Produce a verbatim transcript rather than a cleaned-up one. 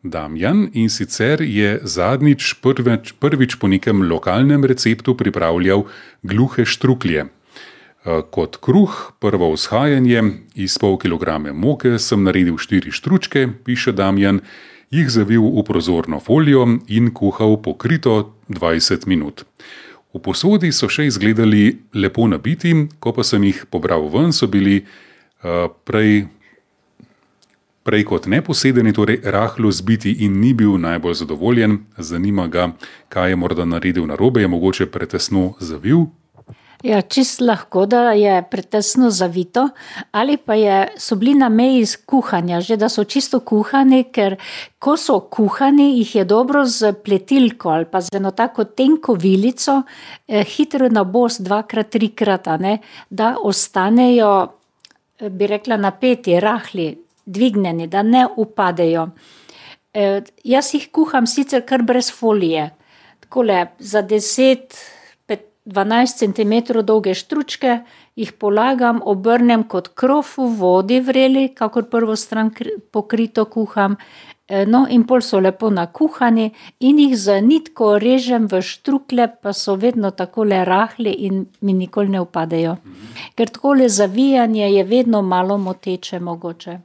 Damjan, in sicer je zadnjič prvič, prvič po nekem lokalnem receptu pripravljal gluhe štruklje. Kot kruh, prvo vzhajanje, iz pol kilograme moke sem naredil štiri štručke, piše Damjan, jih zavil v prozorno folijo in kuhal pokrito dvajset minut. V posodi so še izgledali lepo nabiti, ko pa sem jih pobral ven, so bili uh, prej, prej kot neposedeni, torej rahlo zbiti in ni bil najbolj zadovoljen. Zanima ga, kaj je morda naredil narobe, je mogoče pretesno zavil. Ja, čist lahko, da je pretesno zavito, ali pa je, so bili na meji kuhanja, že da so čisto kuhani, ker ko so kuhani, jih je dobro z pletilko ali pa z eno tako tenko vilico, eh, hitro nabos dvakrat, trikrat, a ne, da ostanejo, bi rekla, napeti, rahli, dvignjeni, da ne upadejo. Eh, jaz jih kuham sicer kar brez folije, takole za deset dvanajst centimetrov dolge štručke, jih polagam, obrnem kot krof v vodi vreli, kakor prvo stran pokrito kuham, no in pol so lepo nakuhani in jih z nitko režem v štrukle, pa so vedno takole rahli in mi nikoli ne upadejo. Ker takole zavijanje je vedno malo moteče mogoče.